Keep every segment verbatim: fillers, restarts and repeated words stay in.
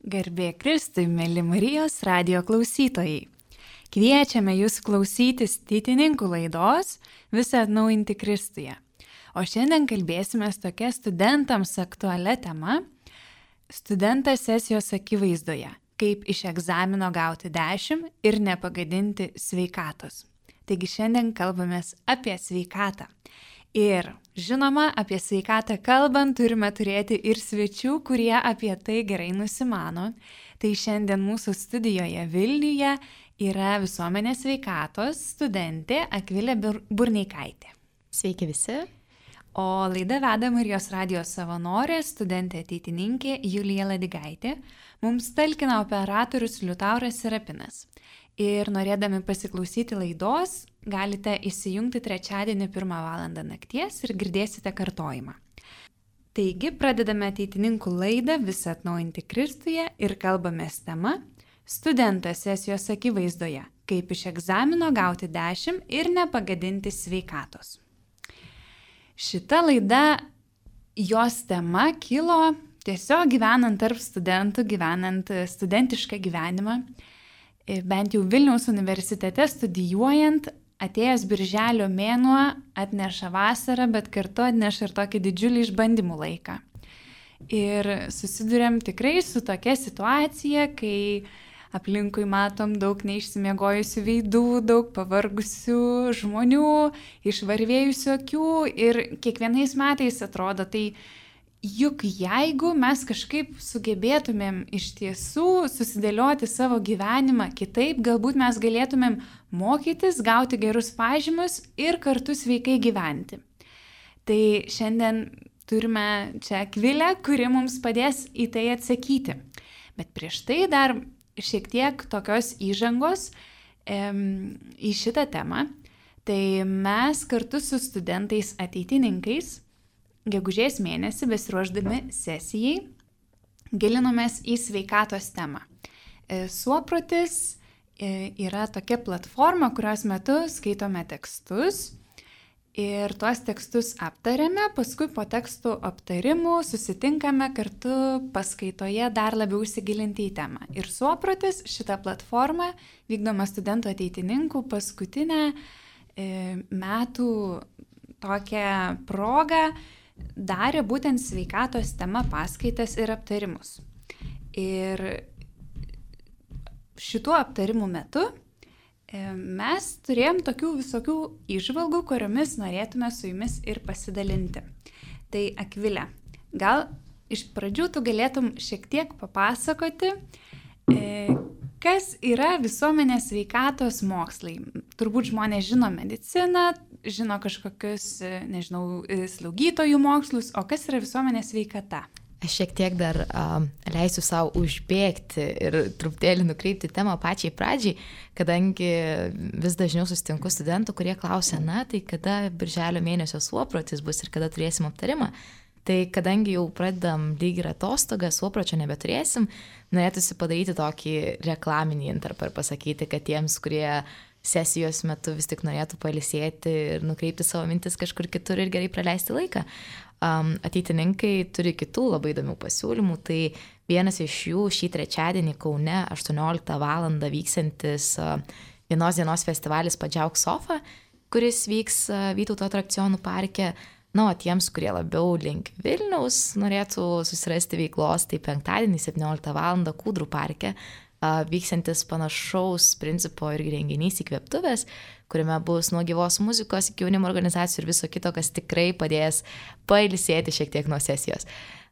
Garbė Kristui, mėly Marijos radijo klausytojai. Kviečiame jūs klausytis Tytininkų laidos Visą atnaujinti Kristuje. O šiandien kalbėsime tokia studentams aktualia tema – studentas sesijos akivaizdoje, kaip iš egzamino gauti dešimt ir nepagadinti sveikatos. Taigi šiandien kalbamės apie sveikatą. Ir žinoma, apie sveikatą kalbant turime turėti ir svečių, kurie apie tai gerai nusimano. Tai šiandien mūsų studijoje Vilniuje yra visuomenės sveikatos studentė Akvilė Burneikaitė. Sveiki visi. O laidą veda Marijos radijos savanorė, studentė ateitininkė Julija Ladigaitė. Mums talkina operatorius Liutauras Serapinas. Ir norėdami pasiklausyti laidos, galite įsijungti trečiadienį pirmą valandą nakties ir girdėsite kartojimą. Taigi, pradedame ateitininkų laidą Visą atnaujinti Kristuje ir kalbamės tema Studentas sesijos akivaizdoje, kaip iš egzamino gauti dešimt ir nepagadinti sveikatos. Šita laida, jos tema kilo tiesiog gyvenant tarp studentų, gyvenant studentišką gyvenimą. Bent jau Vilniaus universitete studijuojant, atėjęs birželio mėnuo atneša vasarą, bet kartu atneša ir tokį didžiulį išbandymų laiką. Ir susidurėm tikrai su tokia situacija, kai aplinkui matom daug neišsimiegojusių veidų, daug pavargusių žmonių, išvarvėjusių akių ir kiekvienais metais atrodo, tai juk jeigu mes kažkaip sugebėtumėm iš tiesų susidėlioti savo gyvenimą kitaip, galbūt mes galėtumėm mokytis, gauti gerus pažymius ir kartu sveikai gyventi. Tai šiandien turime čia Akvilę, kuri mums padės į tai atsakyti. Bet prieš tai dar šiek tiek tokios įžangos em, į šitą temą. Tai mes kartu su studentais ateitininkais gegužės mėnesį besiruošdami sesijai gilinomės į sveikatos temą. Suoprotis yra tokia platforma, kurios metu skaitome tekstus ir tuos tekstus aptarėme, paskui po tekstų aptarimų susitinkame kartu paskaitoje dar labiau įsigilinti į temą. Ir Suoprotis, šita platforma, vykdoma studentų ateitininkų paskutinę e, metų tokią progą, darė būtent sveikatos tema paskaitas ir aptarimus. Ir šituo aptarimų metu mes turėjom tokių visokių įžvalgų, kuriomis norėtume su jumis ir pasidalinti. Tai Akvilė, gal iš pradžių tu galėtum šiek tiek papasakoti, kas yra visuomenės sveikatos mokslai. Turbūt žmonės žino mediciną, žino kažkokius, nežinau, slaugytojų mokslus, o kas yra visuomenės sveikata? Aš šiek tiek dar uh, leisiu savo užbėgti ir truputėlį nukreipti temą pačiai pradžiai, kadangi vis dažniau susitinku studentų, kurie klausia, na, tai kada birželio mėnesio Suoprotis bus ir kada turėsim aptarimą. Tai kadangi jau pradedam lyg ir atostogą, Suopročio nebeturėsim, norėtųsi padaryti tokį reklaminį intarpą ir pasakyti, kad tiems, kurie sesijos metu vis tik norėtų pailsėti ir nukreipti savo mintis kažkur kitur ir gerai praleisti laiką. Um, ateitininkai turi kitų labai įdomių pasiūlymų, tai vienas iš jų šį trečiadienį Kaune aštuonioliktą valandą vyksiantis uh, vienos dienos festivalis Padžiauk Sofa, kuris vyks uh, Vytauto atrakcionų parke. Na, o tiems, kurie labiau link Vilniaus norėtų susirasti veiklos, tai penktadienį septynioliktą valandą Kūdrų parke uh, vyksiantis panašaus principo ir renginys Įkvėptuvės, kuriame bus nuo gyvos muzikos iki jaunimo organizacijų ir viso kito, kas tikrai padės pailsėti šiek tiek nuo sesijos.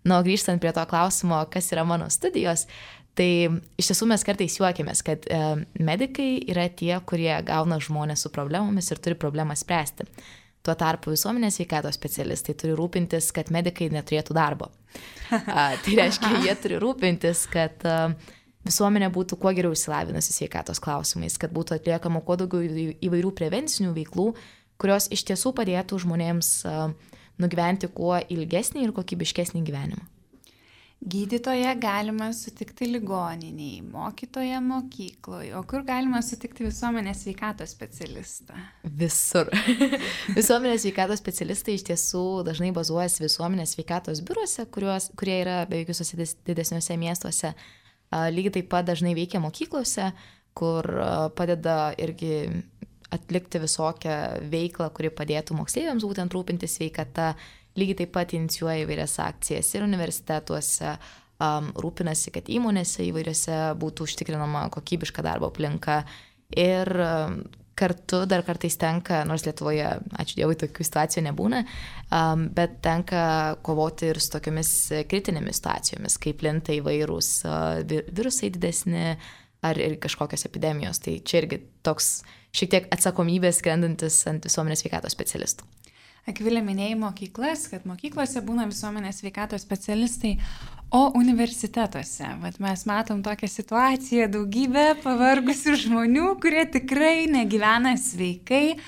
Na, o grįžtant prie to klausimo, kas yra mano studijos, tai iš tiesų mes kartais juokiamės, kad e, medikai yra tie, kurie gauna žmonės su problemomis ir turi problemą spręsti. Tuo tarpu visuomenės sveikatos specialistai turi rūpintis, kad medikai neturėtų darbo. A, tai reiškia, jie turi rūpintis, kad a, visuomenė būtų kuo geriau išsilavinusi sveikatos klausimais, kad būtų atliekama kuo daugiau įvairių prevencinių veiklų, kurios iš tiesų padėtų žmonėms nugyventi kuo ilgesnį ir kokybiškesnį gyvenimą. Gydytoją galima sutikti ligoniniai, mokytoją mokykloje, o kur galima sutikti visuomenės sveikatos specialistą? Visur. Visuomenės sveikatos specialistai iš tiesų dažnai bazuojasi visuomenės sveikatos biuruose, kuriuos, kurie yra beveik visuose didesniuose miestuose. Lygiai taip pat dažnai veikia mokyklose, kur padeda irgi atlikti visokią veiklą, kuri padėtų moksleiviams būtent rūpintis sveikata. Lygiai taip pat inicijuoja įvairias akcijas ir universitetuose, um, rūpinasi, kad įmonėse įvairiose būtų užtikrinama kokybiška darbo aplinka. Ir um, kartu dar kartais tenka, nors Lietuvoje, ačiū Dievui, tokių situacijų nebūna, um, bet tenka kovoti ir su tokiamis kritinėmis situacijomis, kaip plinta įvairūs uh, virusai didesni ar ir kažkokios epidemijos. Tai čia irgi toks šiek tiek atsakomybės skrendantis ant visuomenės sveikatos specialistų. Akvilė minėjai mokyklas, kad mokyklose būna visuomenės sveikatos specialistai, o universitetuose. Vat mes matom tokią situaciją, daugybę pavargusių žmonių, kurie tikrai negyvena sveikai.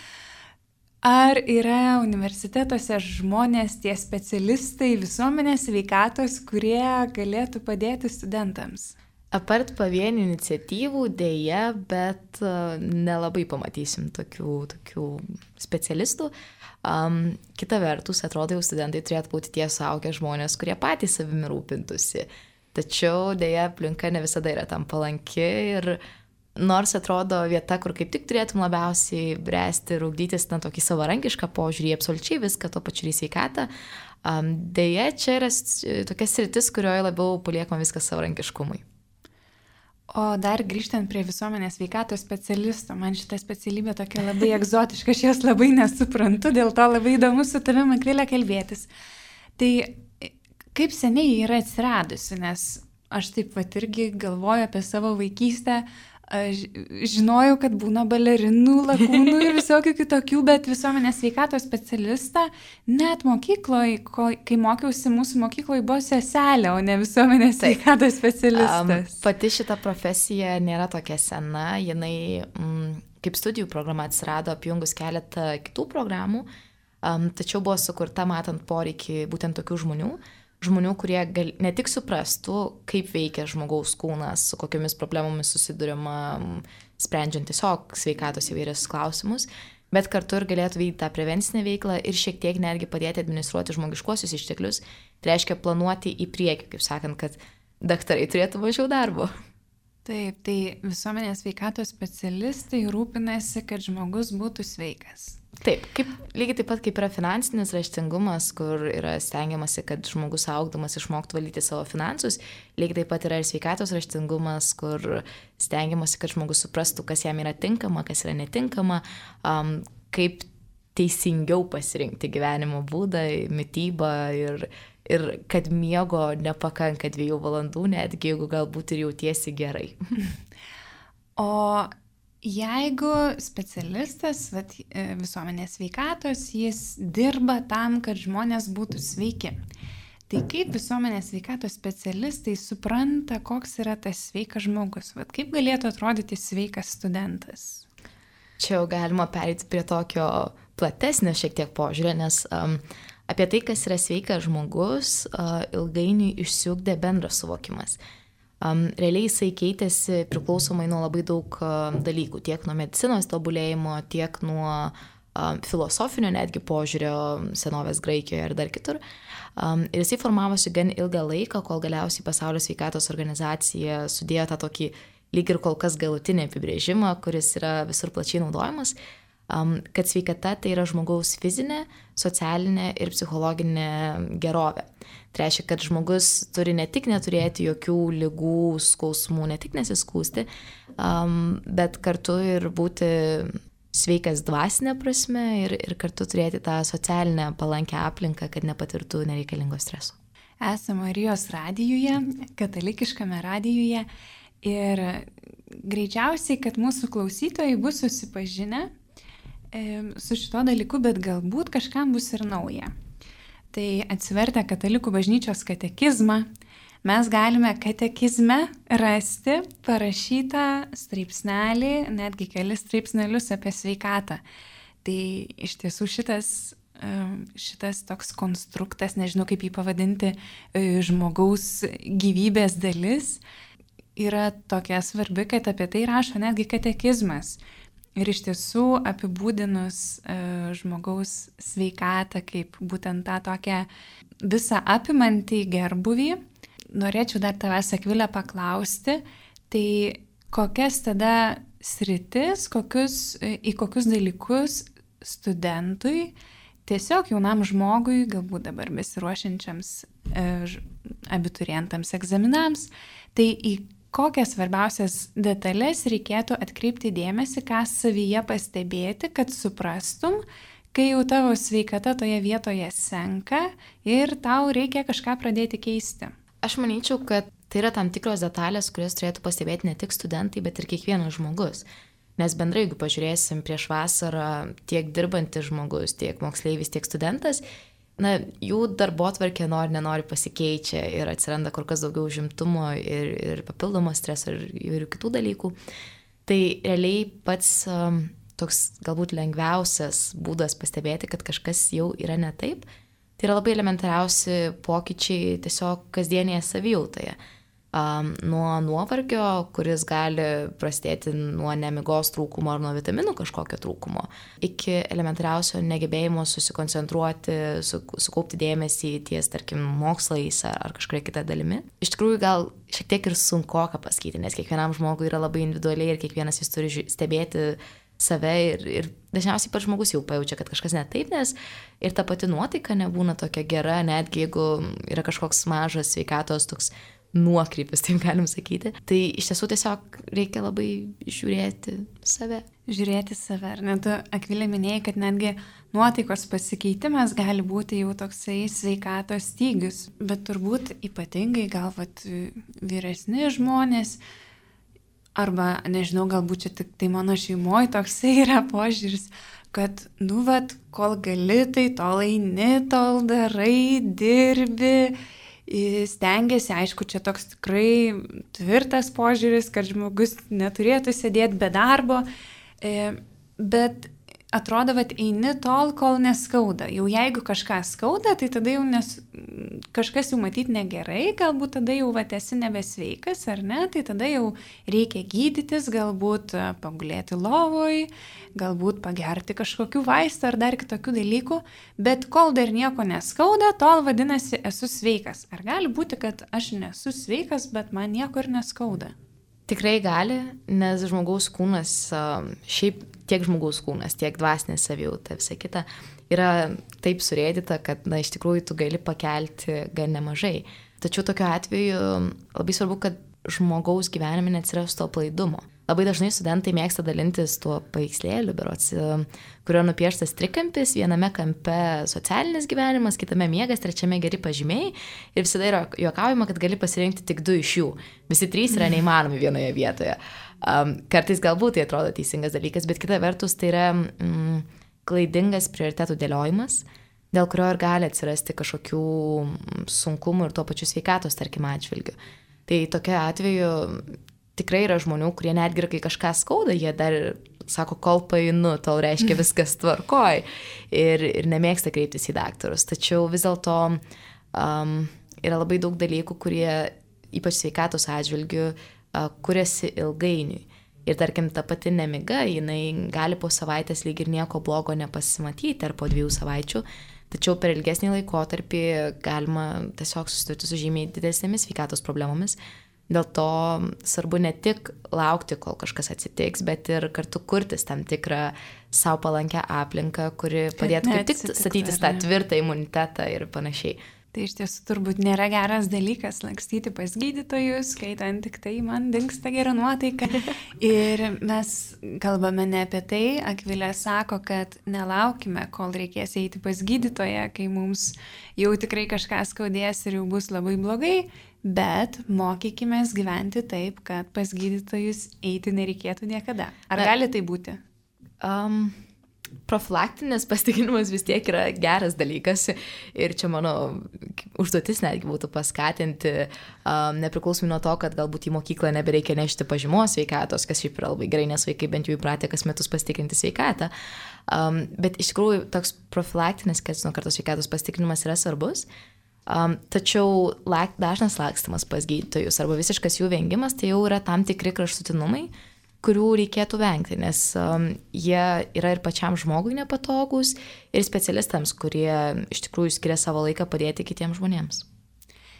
Ar yra universitetuose žmonės, tie specialistai visuomenės sveikatos, kurie galėtų padėti studentams? Apart pavienių iniciatyvų dėja, bet nelabai pamatysim tokių, tokių specialistų. Um, kita vertus, atrodo, jau studentai turėtų būti tie suaugę žmonės, kurie patys savimi rūpintųsi. Tačiau dėja, aplinka ne visada yra tam palanki ir nors atrodo vieta, kur kaip tik turėtum labiausiai bręsti ir ugdytis na tokį savarankišką požiūrį, absoliučiai viską, to pačiu į sveikatą, um, dėja, čia yra tokia sritis, kurioje labiau paliekama viskas savarankiškumui. O dar grįžtant prie visuomenės sveikatos specialisto, man šita specialybė tokia labai egzotiška, aš jos labai nesuprantu, dėl to labai įdomu su tavimi, Akvilė, kalbėtis. Tai kaip seniai yra atsiradusi, nes aš taip pat irgi galvoju apie savo vaikystę, aš žinojau, kad būna balerinų, lakūnų ir visokių kitokių, bet visuomenės sveikatos specialistą net mokykloje, kai mokiausi, mūsų mokykloje buvo seselė, o ne visuomenės sveikatos specialistas. Um, pati šita profesija nėra tokia sena, jinai mm, kaip studijų programa atsirado apjungus keletą kitų programų, um, tačiau buvo sukurta matant poreikį būtent tokių žmonių, žmonių, kurie gal, ne tik suprastų, kaip veikia žmogaus kūnas, su kokiamis problemomis susiduriama, sprendžiant tiesiog sveikatos įvairius klausimus, bet kartu ir galėtų vykdyti tą prevencinę veiklą ir šiek tiek netgi padėti administruoti žmogiškuosius išteklius. Tai reiškia planuoti į priekį, kaip sakant, kad daktarai turėtų mažiau darbo. Taip, tai visuomenės sveikatos specialistai rūpinasi, kad žmogus būtų sveikas. Taip, kaip, lygiai taip pat kaip yra finansinis raštingumas, kur yra stengiamasi, kad žmogus augdamas išmoktų valdyti savo finansus, lygiai taip pat yra ir sveikatos raštingumas, kur stengiamasi, kad žmogus suprastų, kas jam yra tinkama, kas yra netinkama, um, kaip teisingiau pasirinkti gyvenimo būdą, mitybą ir, ir kad miego nepakanka dviejų valandų, netgi jeigu galbūt ir jautiesi gerai. O jeigu specialistas vat, visuomenės sveikatos, jis dirba tam, kad žmonės būtų sveiki, tai kaip visuomenės sveikatos specialistai supranta, koks yra tas sveikas žmogus? Vat, kaip galėtų atrodyti sveikas studentas? Čia jau galima pereiti prie tokio platesnio šiek tiek požiūrė, nes um, apie tai, kas yra sveikas žmogus, uh, ilgainiui išsiugdė bendras suvokimas. Um, realiai jisai keitėsi priklausomai nuo labai daug uh, dalykų, tiek nuo medicinos tobulėjimo, tiek nuo um, filosofinio netgi požiūrio senovės Graikijoje ir dar kitur. Um, ir jisai formavosi gan ilgą laiką, kol galiausiai Pasaulio sveikatos organizacija sudėjo tą tokį lyg ir kol kas galutinį apibrėžimą, kuris yra visur plačiai naudojamas, um, kad sveikata tai yra žmogaus fizinė, socialinė ir psichologinė gerovė. Tai reiškia, kad žmogus turi ne tik neturėti jokių ligų, skausmų, ne tik nesiskūsti, um, bet kartu ir būti sveikas dvasinė prasme ir, ir kartu turėti tą socialinę palankę aplinką, kad nepatirtų nereikalingo streso. Esame Marijos radijuje, katalikiškame radijuje ir greičiausiai, kad mūsų klausytojai bus susipažinę e, su šito dalyku, bet galbūt kažkam bus ir nauja. Tai atsivertę Katalikų bažnyčios katekizmą, mes galime katekizme rasti parašytą straipsnelį, netgi kelis straipsnelius apie sveikatą. Tai iš tiesų šitas, šitas toks konstruktas, nežinau kaip jį pavadinti, žmogaus gyvybės dalis, yra tokia svarbi, kad apie tai rašo netgi katekizmas. Ir iš tiesų apibūdinus uh, žmogaus sveikatą kaip būtent tą tokią visą apimantį gerbuvį, norėčiau dar tavęs, Akvilė, paklausti, tai kokias tada sritis, kokius, į kokius dalykus studentui, tiesiog jaunam žmogui, galbūt dabar besiruošiančiams e, abiturientams egzaminams, tai į kokias svarbiausias detalės reikėtų atkreipti dėmesį, ką savyje pastebėti, kad suprastum, kai jau tavo sveikata toje vietoje senka ir tau reikia kažką pradėti keisti. Aš manyčiau, kad tai yra tam tikros detalės, kurias turėtų pastebėti ne tik studentai, bet ir kiekvienas žmogus. Nes bendrai, jeigu pažiūrėsim prieš vasarą, tiek dirbantis žmogus, tiek moksleivis, tiek studentas, na, jų darbotvarkė nori, nenori pasikeičia ir atsiranda kur kas daugiau užimtumo ir, ir papildomo streso ir įvairių kitų dalykų. Tai realiai pats um, toks galbūt lengviausias būdas pastebėti, kad kažkas jau yra ne taip, tai yra labai elementariausi pokyčiai tiesiog kasdienėje savijautoje. Um, nuo nuovargio, kuris gali prasidėti nuo nemigos trūkumo ar nuo vitaminų kažkokio trūkumo, iki elementariausio negebėjimo susikoncentruoti, su, sukaupti dėmesį ties, tarkim, mokslais ar, ar kažkuria kita dalimi. Iš tikrųjų, gal šiek tiek ir sunkoka pasakyti, nes kiekvienam žmogui yra labai individualiai ir kiekvienas jis turi stebėti save ir, ir dažniausiai pats žmogus jau pajaučia, kad kažkas ne taip, nes ir ta pati nuotaika nebūna tokia gera, netgi jeigu yra kažkoks mažas sveikatos toks nuokrypis, taip galim sakyti. Tai iš tiesų tiesiog reikia labai žiūrėti save. Žiūrėti save. Ar net Akvilė minėjai, kad netgi nuotaikos pasikeitimas gali būti jau toksai sveikatos stygius. Bet turbūt ypatingai gal vat vyresni žmonės, arba nežinau, galbūt čia tik tai mano šeimoje toksai yra požiūris, kad, nu, vat, kol gali, tai tol eini, tol darai, dirbi, stengiasi, aišku, čia toks tikrai tvirtas požiūris, kad žmogus neturėtų sėdėti be darbo, bet atrodo, kad eini tol, kol neskauda. Jau jeigu kažką skauda, tai tada jau nes, kažkas jau matyti negerai, galbūt tada jau vat, esi nebesveikas, ar ne, tai tada jau reikia gydytis, galbūt pagulėti lovoj, galbūt pagerti kažkokių vaistų ar dar kitokių dalykų, bet kol dar nieko neskauda, tol vadinasi esu sveikas. Ar gali būti, kad aš nesu sveikas, bet man nieko ir neskauda? Tikrai gali, nes žmogaus kūnas, šiaip tiek žmogaus kūnas, tiek dvasinė savijauta, visa kita, yra taip surėdyta, kad, na, iš tikrųjų tu gali pakelti gan nemažai. Tačiau tokiu atveju labai svarbu, kad žmogaus gyvenime neatsirastų to aplaidumo. Labai dažnai studentai mėgsta dalintis tuo paveikslėliu, berods, kurio nupieštas trikampis, viename kampe socialinis gyvenimas, kitame miegas, trečiame geri pažymiai ir visada yra juokaujama, kad gali pasirinkti tik du iš jų. Visi trys yra neįmanomi vienoje vietoje. Um, kartais galbūt tai atrodo teisingas dalykas, bet kita vertus tai yra mm, klaidingas prioritetų dėliojimas, dėl kurio ir gali atsirasti kažkokių sunkumų ir tuo pačiu sveikatos, tarkim, atžvilgiu. Tai tokia atveju tikrai yra žmonių, kurie netgi, kai kažką skauda, jie dar sako, kol painu, tol reiškia viskas tvarkoj ir, ir nemėgsta kreiptis į daktarus. Tačiau vis dėlto um, yra labai daug dalykų, kurie ypač sveikatos atžvilgių uh, kuriasi ilgainiui. Ir tarkim, ta pati nemiga, jinai gali po savaitės lyg ir nieko blogo nepasimatyti ar po dviejų savaičių, tačiau per ilgesnį laikotarpį galima tiesiog susidurti su žymiai didesnėmis sveikatos problemomis. Dėl to svarbu ne tik laukti, kol kažkas atsitiks, bet ir kartu kurtis tam tikrą savo palankę aplinką, kuri padėtų kaip tik statytis tą tvirtą imunitetą ir panašiai. Tai iš tiesų turbūt nėra geras dalykas lakstyti pas gydytojus, skaitant tik tai, man dingsta gera nuotaika. Ir mes kalbame ne apie tai, Akvilė sako, kad nelaukime, kol reikės eiti pas gydytoją, kai mums jau tikrai kažką skaudės ir jau bus labai blogai, bet mokykimės gyventi taip, kad pas gydytojus eiti nereikėtų niekada. Ar Na, gali tai būti? Um... Profilaktinis pasitikrinimas vis tiek yra geras dalykas ir čia mano užduotis netgi būtų paskatinti, um, nepriklausomai nuo to, kad galbūt į mokyklą nebereikia nešti pažymos sveikatos, kas šiaip yra labai gerai, nes vaikai bent jau įpratę kas metus pasitikrinti sveikatą. Um, bet iš tikrųjų toks profilaktinis, kas nuo kartos sveikatos pasitikrinimas yra svarbus. Um, tačiau lak, dažnas lakstymas pas gydytojus arba visiškas jų vengimas, tai jau yra tam tikri kraštutinumai, kurių reikėtų vengti, nes um, jie yra ir pačiam žmogui nepatogus ir specialistams, kurie iš tikrųjų skiria savo laiką padėti kitiems žmonėms.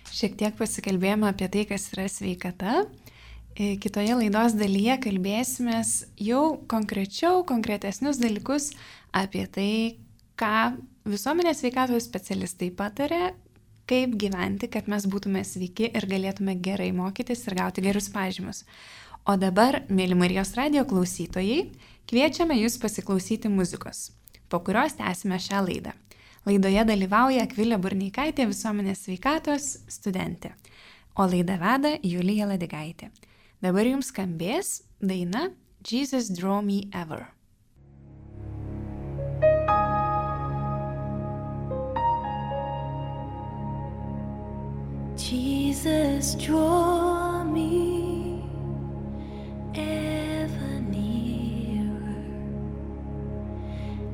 Šiek tiek pasikalbėjome apie tai, kas yra sveikata. Kitoje laidos dalyje kalbėsimės jau konkrečiau, konkretesnius dalykus apie tai, ką visuomenės sveikatos specialistai patarė, kaip gyventi, kad mes būtume sveiki ir galėtume gerai mokytis ir gauti gerus pažymius. O dabar, mėly Marijos radijo klausytojai, kviečiame jūs pasiklausyti muzikos, po kurios tęsime šią laidą. Laidoje dalyvauja Akvilė Burneikaitė, visuomenės sveikatos studentė, o laidą veda Julija Ladigaitė. Dabar jums skambės daina Jesus Draw Me Ever. Jesus, draw me ever nearer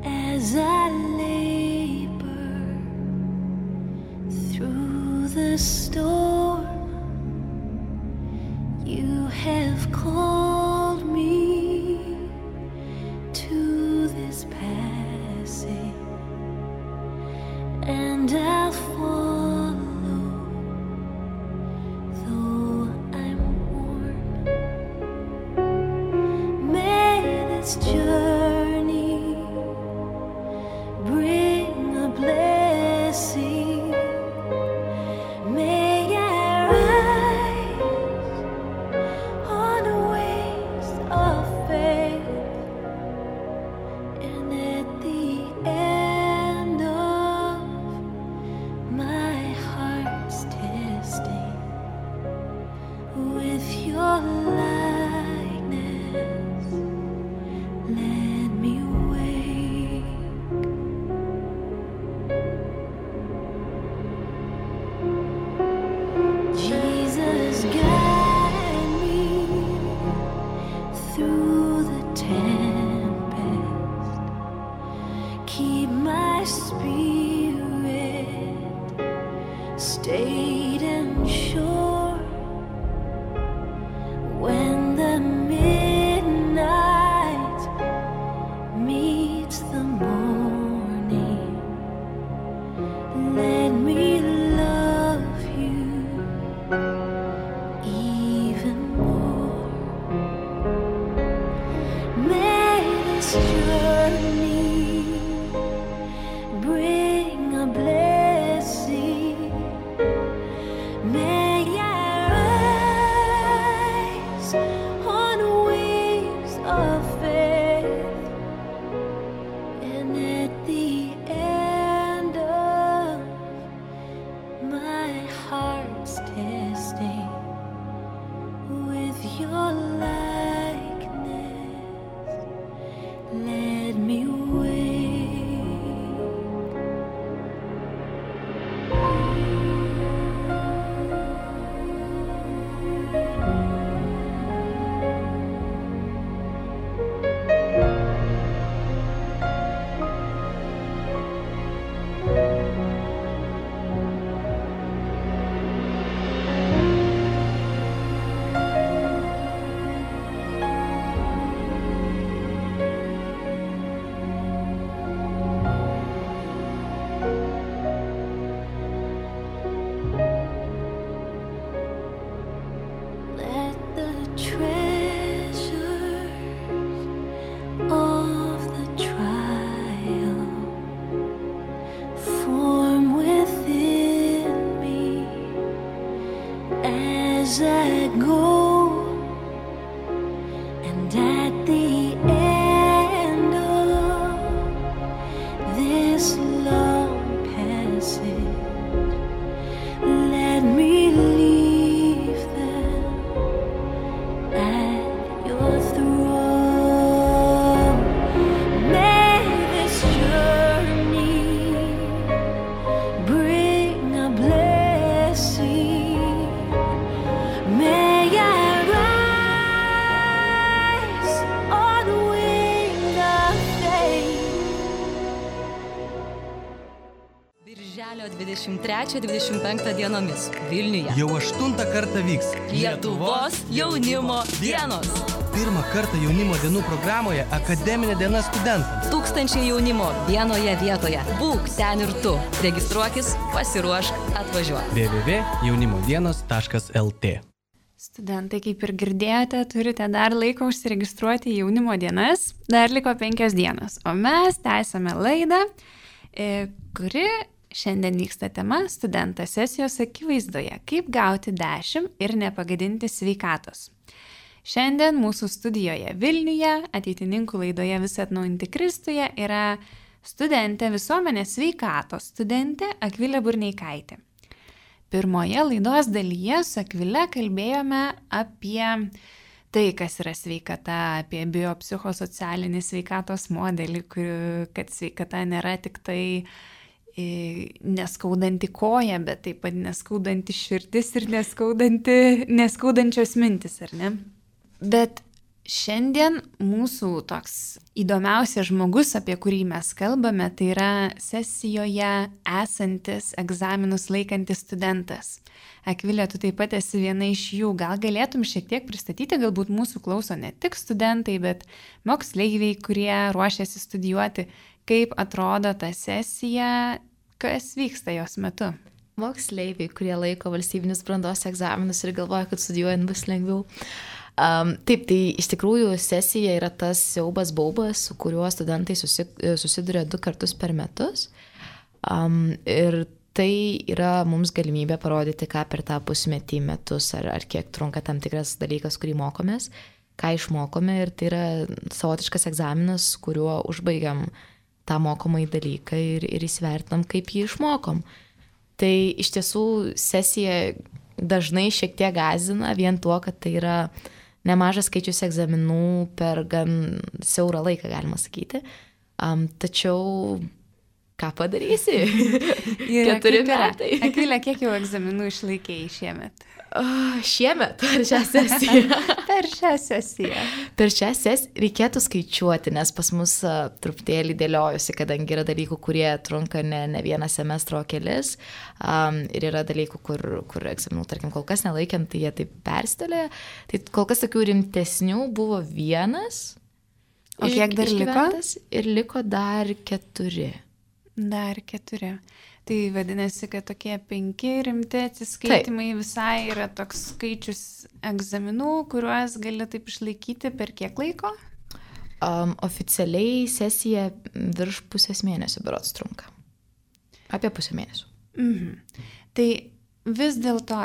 as I labor through the storm. You have called me to this passing, and I'll follow, though I'm worn. May this journey bring a blessing. May I rise on the wings of faith, and at the end of my heart's testing, with your likeness, let me wake. Jesus, guide me through the tempest. Keep my spirit stayed and sure. When the midnight meets the morning, let me love you even more. May this journey bring a blessing. May I rise on wings of faith, and at the end of my heart's testing, with your likeness, let me wake. Let the treasures of the trial form within me as I go, and at the end of this long passage, let me leave them at your throne. May this journey bring a blessing. May I rise on dvidešimt trečią dvidešimt penktą dienomis Vilniuje. Jau aštuntą kartą vyks Lietuvos jaunimo dienos. Pirmą kartą jaunimo dienų programoje akademinė diena studentams. Tūkstančiai jaunimo vienoje vietoje. Būk ten ir tu. Registruokis, pasiruošk, atvažiuok. w w w taškas jaunimo dienos taškas l t. Studentai, kaip ir girdėjote, turite dar laiko užsiregistruoti į jaunimo dienas. Dar liko penkios dienos. O mes tęsame laidą, kuri šiandien vyksta tema studentas sesijos akivaizdoje. Kaip gauti dešimt ir nepagadinti sveikatos. Šiandien mūsų studijoje Vilniuje, ateitininkų laidoje Visi atnaujinti Kristuje, yra studentė visuomenės sveikatos studentė Akvilė Burneikaitė. Pirmoje laidos dalyje su Akvile kalbėjome apie tai, kas yra sveikata, apie biopsichosocialinį sveikatos modelį, kad sveikata nėra tik tai neskaudanti koja, bet taip pat neskaudanti širdis ir neskaudančios mintis, ar ne? Bet šiandien mūsų toks įdomiausias žmogus, apie kurį mes kalbame, tai yra sesijoje esantis egzaminus laikantis studentas. Akvilė, tu taip pat esi viena iš jų. Gal galėtum šiek tiek pristatyti, galbūt mūsų klauso ne tik studentai, bet moksleiviai, kurie ruošiasi studijuoti, kaip atrodo ta sesija, kas vyksta jos metu. Moksleiviai, kurie laiko valstybinius brandos egzaminus ir galvoja, kad studijuojant bus lengviau. Um, taip, tai iš tikrųjų sesija yra tas siaubas baubas, su kuriuo studentai susi, susiduria du kartus per metus. Um, ir tai yra mums galimybė parodyti, ką per tą pusmetį metus ar, ar kiek trunka tam tikras dalykas, kurį mokomės, ką išmokome, ir tai yra savotiškas egzaminas, kuriuo užbaigiam tą mokomąjį dalyką ir, ir įsivertinam, kaip jį išmokom. Tai iš tiesų sesija dažnai šiek tiek gąsdina vien tuo, kad tai yra nemažas skaičius egzaminų per gan siaurą laiką, galima sakyti. Um, tačiau ką padarysi? Keturi metai. Akvilė, kiek jau egzaminų išlaikėjai šiemet? Uh, šiemet per šią sesiją. per šią sesiją. Per šią sesiją reikėtų skaičiuoti, nes pas mus uh, truputėlį dėliojusi, kadangi yra dalykų, kurie trunka ne, ne vieną semestrą, o kelis. Um, ir yra dalykų, kur, kur egzaminų, tarkim, kol kas nelaikiant, tai jie taip perstelė. Tai kol kas tokių rimtesnių buvo vienas. O kiek dar liko? Ir liko dar keturi. Dar keturi. Tai vadinasi, kad tokie penki rimti atsiskaitimai taip. Visai yra toks skaičius egzaminų, kuriuos gali taip išlaikyti per kiek laiko? Um, oficialiai sesija virš pusės mėnesio berods trunka. Apie pusę mėnesio. Mhm. Tai vis dėlto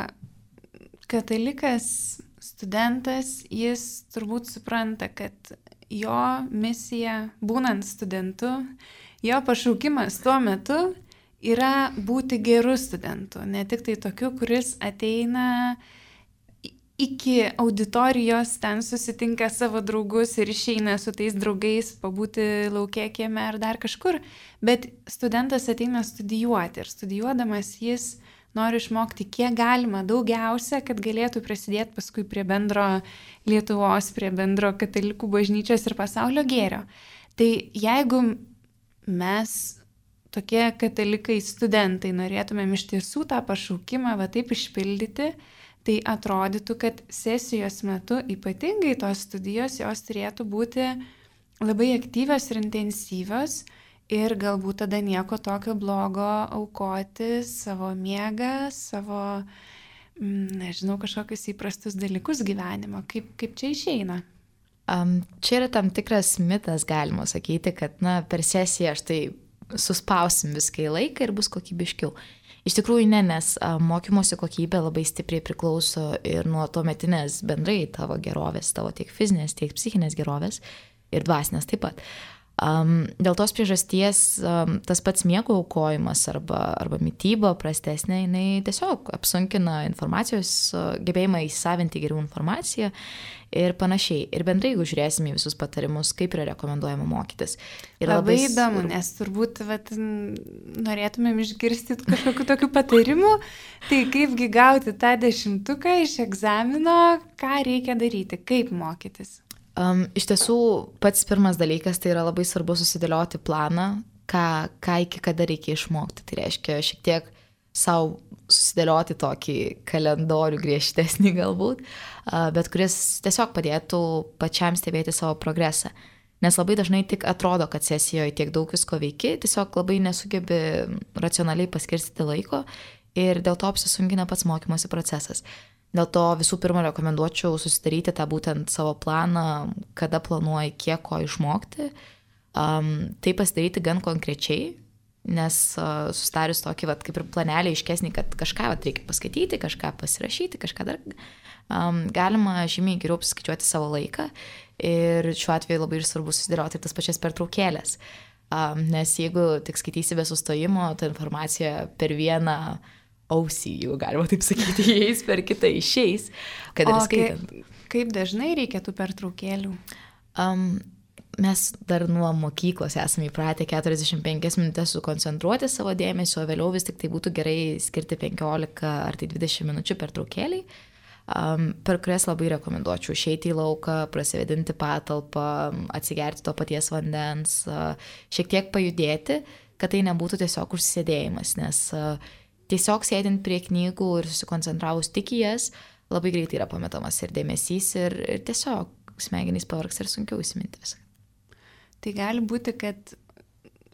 katalikas, studentas, jis turbūt supranta, kad jo misija, būnant studentu, jo pašaukimas tuo metu yra būti geru studentu, ne tik tai tokiu, kuris ateina iki auditorijos, ten susitinka savo draugus ir išeina su tais draugais pabūti lauke kieme ar dar kažkur, bet studentas ateina studijuoti ir studijuodamas jis nori išmokti kiek galima daugiausia, kad galėtų prisidėti paskui prie bendro Lietuvos, prie bendro katalikų bažnyčios ir pasaulio gėrio. Tai jeigu mes tokie katalikai studentai norėtumėm iš tiesų tą pašaukimą va taip išpildyti, tai atrodytų, kad sesijos metu ypatingai tos studijos jos turėtų būti labai aktyvios ir intensyvios ir galbūt tada nieko tokio blogo aukoti savo miegą, savo, nežinau, kažkokius įprastus dalykus gyvenimo. Kaip, kaip čia išeina? Um, čia yra tam tikras mitas, galima sakyti, kad na, per sesiją aš tai suspausim viską į laiką ir bus kokybiškiau. Iš tikrųjų ne, nes a, mokymosi kokybė labai stipriai priklauso ir nuo tuometinės bendrai tavo gerovės, tavo tiek fizinės, tiek psichinės gerovės ir dvasinės taip pat. Um, dėl tos priežasties um, tas pats miego aukojimas arba, arba mityba prastesnė, jinai tiesiog apsunkina informacijos uh, gebėjimą įsisavinti geriau informaciją ir panašiai. Ir bendrai, jeigu žiūrėsime į visus patarimus, kaip yra rekomenduojama mokytis. Ir labai, labai įdomu, nes turbūt vat, norėtumėm išgirsti kažkokių tokių patarimų, tai kaipgi gauti tą dešimtuką iš egzamino, ką reikia daryti, kaip mokytis. Um, iš tiesų, pats pirmas dalykas, tai yra labai svarbu susidėlioti planą, ką, ką iki kada reikia išmokti. Tai reiškia šiek tiek savo susidėlioti tokį kalendorių griežtesnį galbūt, bet kuris tiesiog padėtų pačiam stebėti savo progresą. Nes labai dažnai tik atrodo, kad sesijoje tiek daug visko veiki, tiesiog labai nesugebi racionaliai paskirstyti laiko ir dėl to apsisunkina pats mokymosi procesas. Dėl to visų pirma rekomenduočiau susidaryti tą būtent savo planą, kada planuoji kiek ko išmokti. Um, tai pasidaryti gan konkrečiai, nes uh, susidarius tokį, vat, kaip ir planelį iškesnį, kad kažką vat, reikia paskaityti, kažką pasirašyti, kažką dar, um, galima žymiai geriau apskaičiuoti savo laiką ir šiuo atveju labai ir svarbu susidėlioti tas pačias pertraukėlės, um, nes jeigu tik skaitysi be sustojimo, ta informacija per vieną ausį, jeigu galima taip sakyti, įeis, per kitą išeis, kad ir skaitant. Kaip, kaip dažnai reikia tų pertraukėlių? Um, Mes dar nuo mokyklos esame įpratę keturiasdešimt penkias minutės sukoncentruoti savo dėmesio, o vėliau vis tik tai būtų gerai skirti penkiolika ar tai dvidešimt minučių pertraukėliai, um, per kurias labai rekomenduočiau išeiti į lauką, prasivėdinti patalpą, atsigerti to paties vandens, uh, šiek tiek pajudėti, kad tai nebūtų tiesiog užsėdėjimas, nes uh, tiesiog sėdint prie knygų ir susikoncentravus tik į jas, labai greitai yra pametamas ir dėmesys ir, ir tiesiog smegenys pavargs ir sunkiau įsiminti viską. Tai gali būti, kad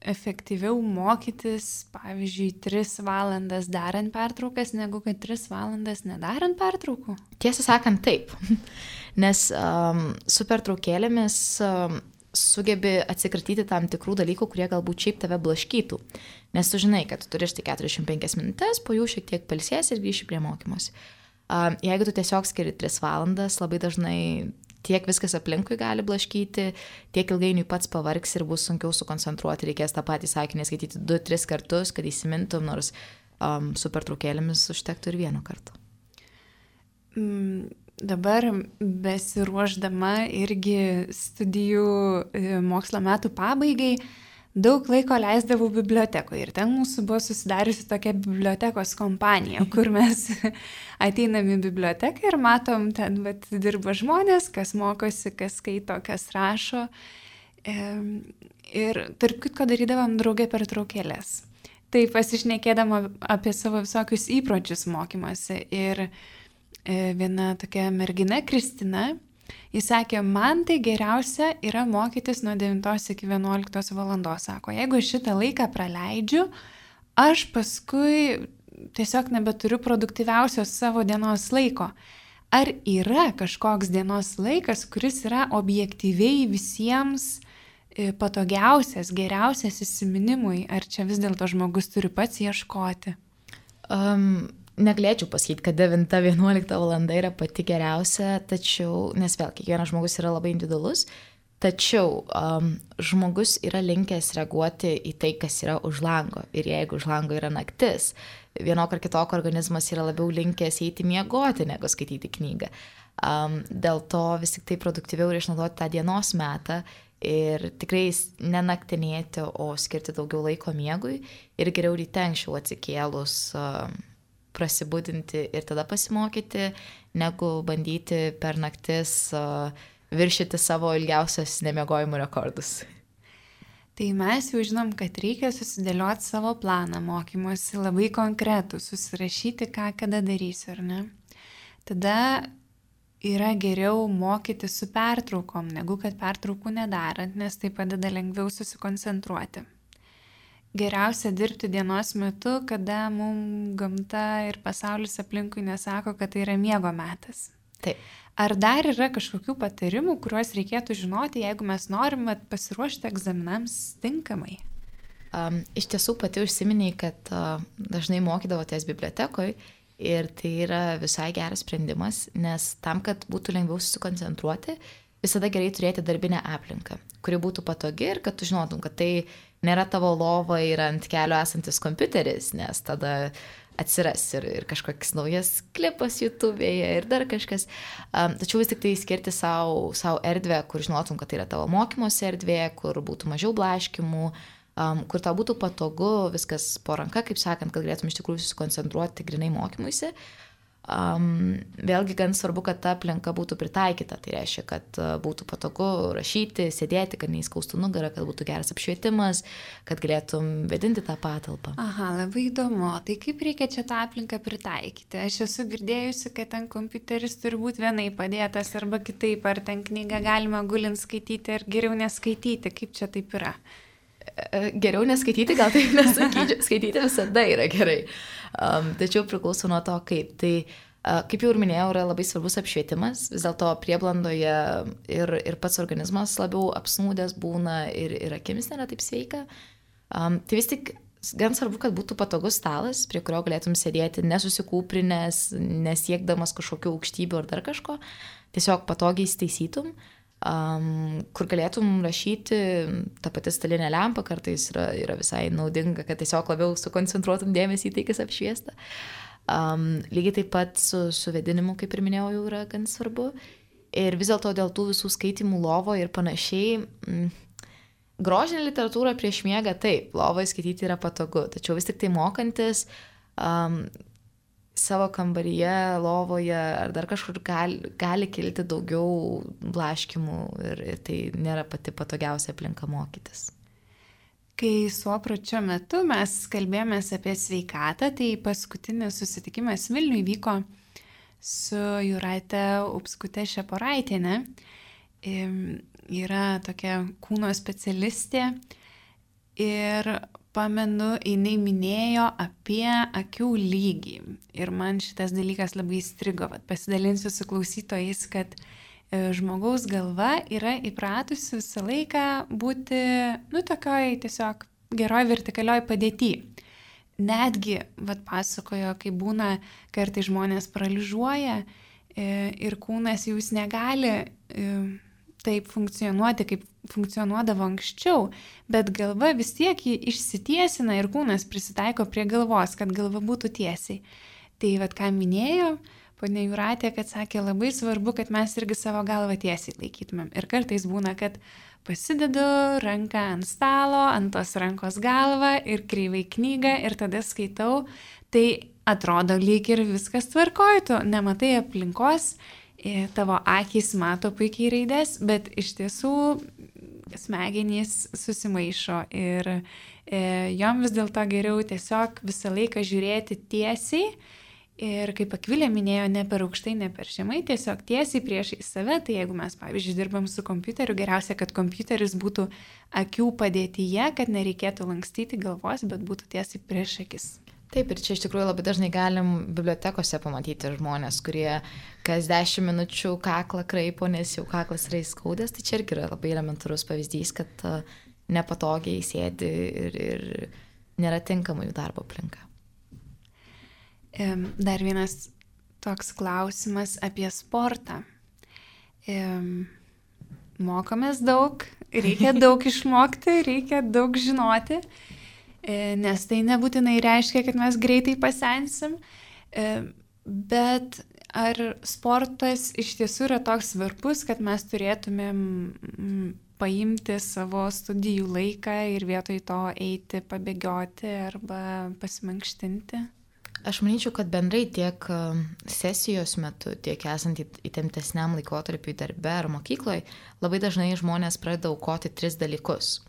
efektyviau mokytis, pavyzdžiui, tris valandas darant pertraukas, negu kad tris valandas nedarant pertraukų? Tiesą sakant, taip. Nes um, su pertraukėlėmis um, sugebi atsikratyti tam tikrų dalykų, kurie galbūt šiaip tave blaškytų. Nes tu žinai, kad tu turi štai keturiasdešimt penkias minutės, po jų šiek tiek pailsėsi ir grįši prie mokymosi. Um, jeigu tu tiesiog skiri tris valandas, labai dažnai tiek viskas aplinkui gali blaškyti, tiek ilgainiui pats pavargs ir bus sunkiau sukoncentruoti, reikės tą patį sakinį skaityti du, tris kartus, kad įsimintum, nors um, su pertraukėlėmis užtektų ir vienu kartu. Mm, dabar besiruošdama irgi studijų mokslo metų pabaigai, daug laiko leisdavau bibliotekoje ir ten mūsų buvo susidariusi tokia bibliotekos kompanija, kur mes ateinam į biblioteką ir matom, ten vat, dirba žmonės, kas mokosi, kas skaito, kas rašo. Ir tarp kitko darydavom draugę pertraukėlės. Tai pasišnekėdama apie savo visokius įpročius mokymosi. Ir viena tokia mergina, Kristina, jis sakė, man tai geriausia yra mokytis nuo devintos iki vienuoliktos valandos. Sako, jeigu šitą laiką praleidžiu, aš paskui tiesiog nebeturiu produktyviausios savo dienos laiko. Ar yra kažkoks dienos laikas, kuris yra objektyviai visiems patogiausias, geriausias įsiminimui? Ar čia vis dėlto žmogus turi pats ieškoti? Um... Negalėčiau pasakyti, kad devinta vienuolikta valanda yra pati geriausia, tačiau, nes vėl, kiekvienas žmogus yra labai individualus, tačiau um, žmogus yra linkęs reaguoti į tai, kas yra už lango. Ir jeigu už lango yra naktis, vienok ar kitok organizmas yra labiau linkęs eiti miegoti, negu skaityti knygą. Um, dėl to vis tik tai produktyviau ir išnaudoti tą dienos metą ir tikrai nenaktinėti, o skirti daugiau laiko miegui ir geriau ryte anksčiau atsikėlus um, prasibudinti ir tada pasimokyti, negu bandyti per naktis uh, viršyti savo ilgiausios nemiegojimų rekordus. Tai mes jau žinom, kad reikia susidėlioti savo planą mokymosi labai konkretų, susirašyti, ką kada darysiu, ar ne? Tada yra geriau mokyti su pertraukom, negu kad pertraukų nedarant, nes tai padeda lengviau susikoncentruoti. Geriausia dirbti dienos metu, kada mums gamta ir pasaulis aplinkui nesako, kad tai yra miego metas. Taip. Ar dar yra kažkokių patarimų, kuriuos reikėtų žinoti, jeigu mes norime pasiruošti egzaminams tinkamai? Um, iš tiesų pati užsiminiai, kad uh, dažnai mokydavotės bibliotekoje ir tai yra visai geras sprendimas, nes tam, kad būtų lengviau susikoncentruoti, visada gerai turėti darbinę aplinką, kuri būtų patogi ir kad tu žinotum, kad tai nėra tavo lova ir ant kelio esantis kompiuteris, nes tada atsiras ir, ir kažkoks naujas klipas YouTube'e ir dar kažkas. Um, tačiau vis tik tai skirti savo, savo erdvę, kur žinotum, kad tai yra tavo mokymosi erdvė, kur būtų mažiau blaškimų, um, kur tau būtų patogu, viskas po ranka, kaip sakant, kad galėtum iš tikrųjų susikoncentruoti grinai mokymuisi. Um, vėlgi gan svarbu, kad ta aplinka būtų pritaikyta. Tai reiškia, kad uh, būtų patogu rašyti, sėdėti, kad neįskaustų nugarą, kad būtų geras apšvietimas, kad galėtum vedinti tą patalpą. Aha, labai įdomu. Tai kaip reikia čia tą aplinką pritaikyti? Aš esu girdėjusi, kad ten kompiuteris turi būti vienai padėtas arba kitaip, ar ten knygą galima gulint skaityti, ar geriau neskaityti. Kaip čia taip yra? Geriau neskaityti, gal taip nesakyčiau. Skaityti visada yra gerai. Um, tačiau priklauso nuo to, kaip. Tai, uh, kaip jau ir minėjau, yra labai svarbus apšvietimas. Vis dėlto prieblandoje ir, ir pats organizmas labiau apsnūdęs būna ir, ir akimis nėra taip sveika. Um, tai vis tik gan svarbu, kad būtų patogus stalas, prie kurio galėtum sėdėti nesusikūprinęs, nesiekdamas kažkokių aukštybių ar dar kažko. Tiesiog patogiai įsitaisytum. Um, kur galėtum rašyti, ta pati stalinė lempa kartais yra, yra visai naudinga, kad tiesiog labiau sukoncentruotum dėmesį į tai, kas apšviesta. Um, lygiai taip pat su, su vedinimu, kaip ir minėjau, jau yra gan svarbu. Ir vis dėlto dėl tų visų skaitimų lovo ir panašiai, mm, grožinė literatūra prieš miegą, taip, lovoje skaityti yra patogu, tačiau vis tik tai mokantis, um, savo kambaryje, lovoje ar dar kažkur gali, gali kilti daugiau blaškimų ir, ir tai nėra pati patogiausia aplinka mokytis. Kai suopračio metu mes kalbėjomės apie sveikatą, tai paskutinis susitikimas Vilniuje vyko su Jūrate Upskute Šeporaitienė. Yra tokia kūno specialistė ir pamenu, jinai minėjo apie akių lygį. Ir man šitas dalykas labai įstrigo. Vat pasidalinsiu su klausytojais, kad e, žmogaus galva yra įpratusi visą laiką būti, nu, tokioj tiesiog geroj vertikalioj padėty. Netgi, vat pasakojo, kai būna, kartai žmonės paralyžiuoja e, ir kūnas jau jis negali e, taip funkcionuoti, kaip funkcionuodavo anksčiau, bet galva vis tiek jį išsitiesina ir kūnas prisitaiko prie galvos, kad galva būtų tiesiai. Tai vad ką minėjo ponia Jūratė, kad sakė, labai svarbu, kad mes irgi savo galvą tiesiai laikytumėm. Ir kartais būna, kad pasidedu ranką ant stalo, ant tos rankos galvą ir kreivai knygą ir tada skaitau, tai atrodo lyg ir viskas tvarkoj, tu nematai aplinkos, tavo akys mato puikiai raidės, bet iš tiesų smegenys susimaišo ir e, jom vis dėlto geriau tiesiog visą laiką žiūrėti tiesiai ir, kaip Akvilė minėjo, ne per aukštai, ne per žemai, tiesiog tiesiai priešai save. Tai jeigu mes, pavyzdžiui, dirbam su kompiuteriu, geriausia, kad kompiuteris būtų akių padėtyje, kad nereikėtų lankstyti galvos, bet būtų tiesiai prieš akis. Taip, ir čia iš tikrųjų labai dažnai galim bibliotekose pamatyti žmonės, kurie kas dešimt minučių kaklą kraipo, nes jau kaklas yra įskaudęs, tai čia irgi yra labai elementarus pavyzdys, kad uh, nepatogiai sėdi ir, ir nėra tinkama jų darbo aplinka. Dar vienas toks klausimas apie sportą. Mokomės daug, reikia daug išmokti, reikia daug žinoti. Nes tai nebūtinai reiškia, kad mes greitai pasensim, bet ar sportas iš tiesų yra toks svarbus, kad mes turėtumėm paimti savo studijų laiką ir vietoj to eiti pabėgioti arba pasimankštinti? Aš manyčiau, kad bendrai tiek sesijos metu, tiek esant įtemptesniam laikotarpiui darbe ar mokykloje, labai dažnai žmonės pradeda aukoti tris dalykus.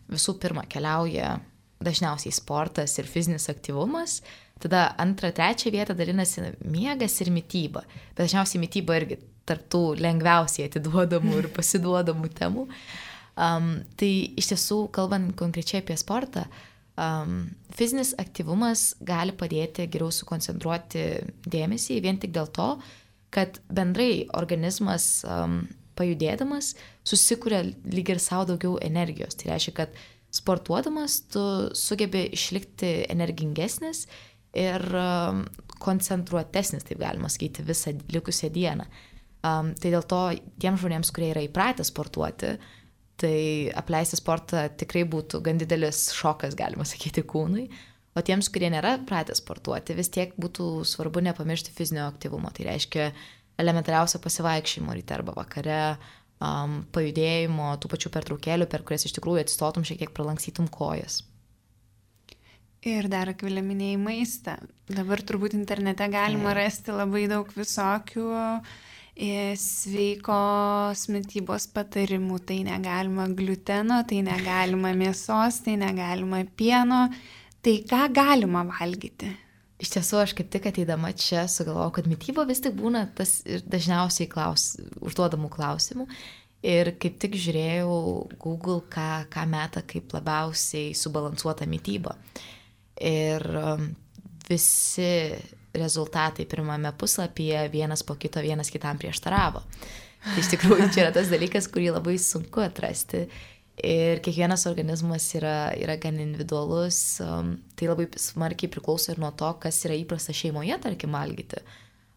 Visų pirma, keliauja dažniausiai sportas ir fizinis aktyvumas, tada antrą, trečią vietą dalinasi miegas ir mityba. Bet dažniausiai mityba irgi tarp tų lengviausiai atiduodamų ir pasiduodamų temų. Um, tai iš tiesų, kalbant konkrečiai apie sportą, um, fizinis aktyvumas gali padėti geriau sukoncentruoti dėmesį vien tik dėl to, kad bendrai organizmas um, pajudėdamas susikuria lyg ir savo daugiau energijos. Tai reiškia, kad sportuodamas tu sugebi išlikti energingesnis ir um, koncentruotesnis, taip galima sakyti, visą likusią dieną. Um, tai dėl to tiems žmonėms, kurie yra įpratę sportuoti, tai apleisti sportą tikrai būtų gan didelis šokas, galima sakyti, kūnui. O tiems, kurie nėra pratę sportuoti, vis tiek būtų svarbu nepamiršti fizinio aktyvumo. Tai reiškia elementariausia pasivaikščiojimo ryte arba vakare, Um, pajudėjimo, tų pačių pertraukėlių, per kurias iš tikrųjų atsistotum, šiek tiek pralankstytum kojas. Ir dar Akvilė minėjai maistą. Dabar turbūt internete galima rasti labai daug visokių e, sveikos mitybos patarimų. Tai negalima gliuteno, tai negalima mėsos, tai negalima pieno. Tai ką galima valgyti? Iš tiesų, aš kaip tik ateidama čia sugalvojau, kad mityba vis tik būna tas dažniausiai klaus, užduodamų klausimų. Ir kaip tik žiūrėjau Google, ką, ką meta kaip labiausiai subalansuota mityba. Ir visi rezultatai pirmame puslapyje vienas po kito, vienas kitam prieštaravo. Tai iš tikrųjų čia yra tas dalykas, kurį labai sunku atrasti. Ir kiekvienas organizmas yra, yra gan individualus. Tai labai smarkiai priklauso ir nuo to, kas yra įprasta šeimoje, tarkim, valgyti.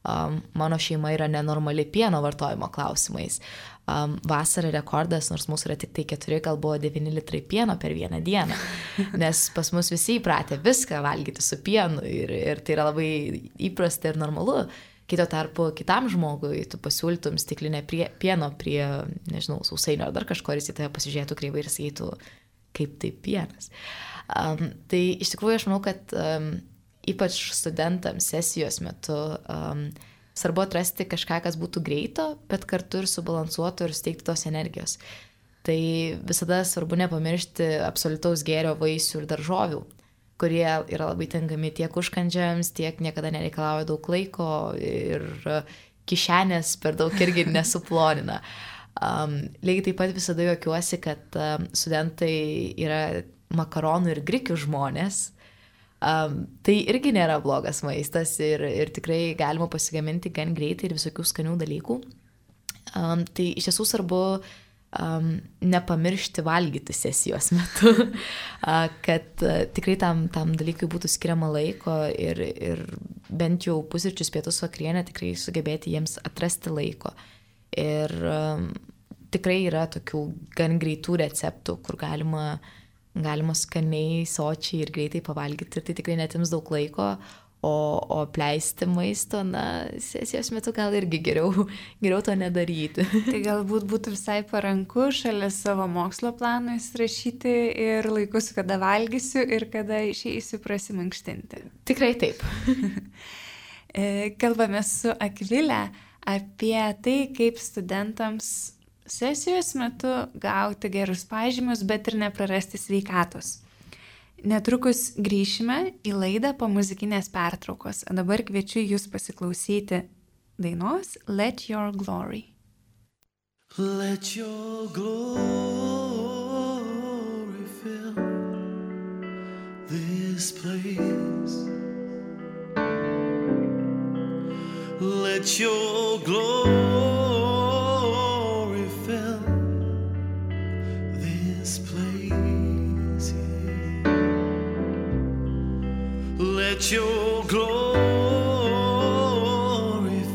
Um, mano šeima yra nenormali pieno vartojimo klausimais. Um, vasarą rekordas, nors mūsų yra tik tai keturi, gal buvo devyni litrai pieno per vieną dieną. Nes pas mus visi įpratę viską valgyti su pienu ir, ir tai yra labai įprasta ir normalu. Kito tarpu kitam žmogui tu pasiūlytum stiklinę prie, pieno prie, nežinau, sausainio ar dar kažko, ir jis į tave pasižiūrėtų kreivai ir sakytų, kaip tai pienas. Um, tai iš tikrųjų aš manau, kad um, ypač studentams sesijos metu um, svarbu atrasti kažką, kas būtų greito, bet kartu ir subalansuotų ir suteikti tos energijos. Tai visada svarbu nepamiršti absoliutaus gėrio vaisių ir daržovių, kurie yra labai tinkami tiek užkandžiams, tiek niekada nereikalauja daug laiko ir kišenės per daug irgi nesuplonina. Um, lygiai taip pat visada juokiuosi, kad um, studentai yra makaronų ir grikių žmonės. Um, tai irgi nėra blogas maistas ir, ir tikrai galima pasigaminti gan greitai ir visokių skanių dalykų. Um, tai iš tiesų svarbu um, nepamiršti valgyti sesijos metu, uh, kad uh, tikrai tam, tam dalykui būtų skiriama laiko ir, ir bent jau pusryčius, pietus, vakarienę tikrai sugebėti jiems atrasti laiko. Ir um, tikrai yra tokių gan greitų receptų, kur galima galima skaniai, sočiai ir greitai pavalgyti, tai tikrai netims daug laiko, o, o pleisti maisto, na, sesijos metu gal irgi geriau, geriau to nedaryti. Tai galbūt būtų visai paranku šalia savo mokslo plano įsirašyti ir laikus, kada valgysiu ir kada išeisiu prasimankštinti. Tikrai taip. Kalbame su Akvilė apie tai, kaip studentams sesijos metu gauti gerus pažymius, bet ir neprarasti sveikatos. Netrukus grįšime į laidą po muzikinės pertraukos. Dabar kviečiu jūs pasiklausyti dainos Let Your Glory. Let your glory fill this place. Let your glory Let your glory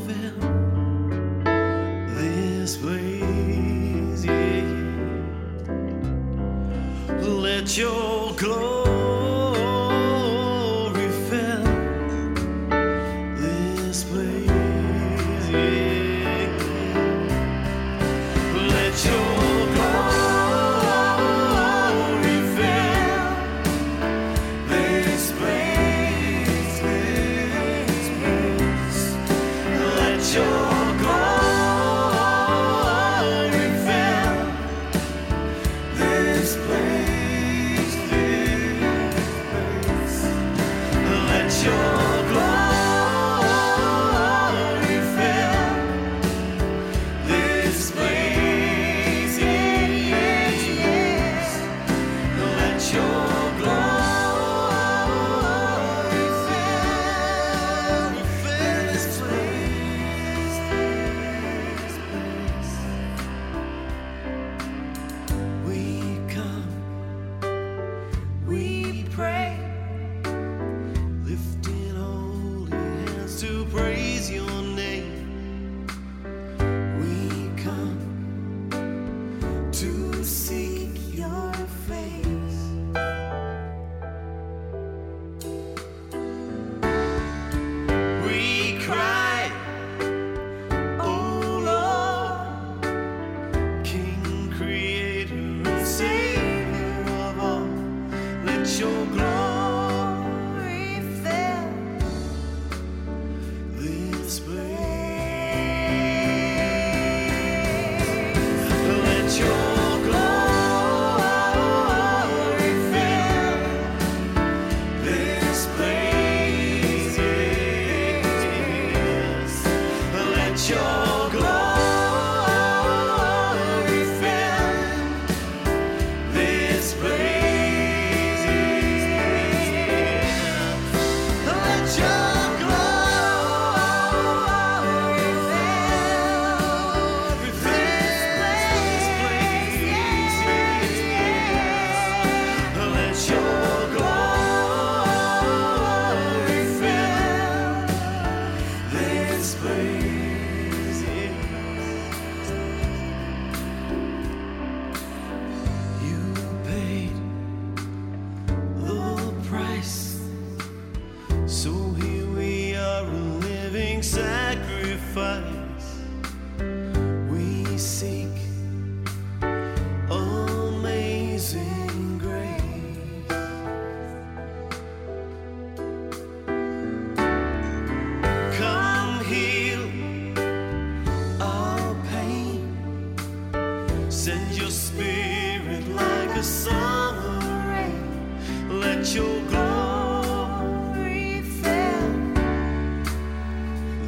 fill this place, yeah. Let your glory fill this place, yeah. Let your this place, I seek amazing grace. Come heal our pain. Send your spirit like a summer rain. Let your glory fill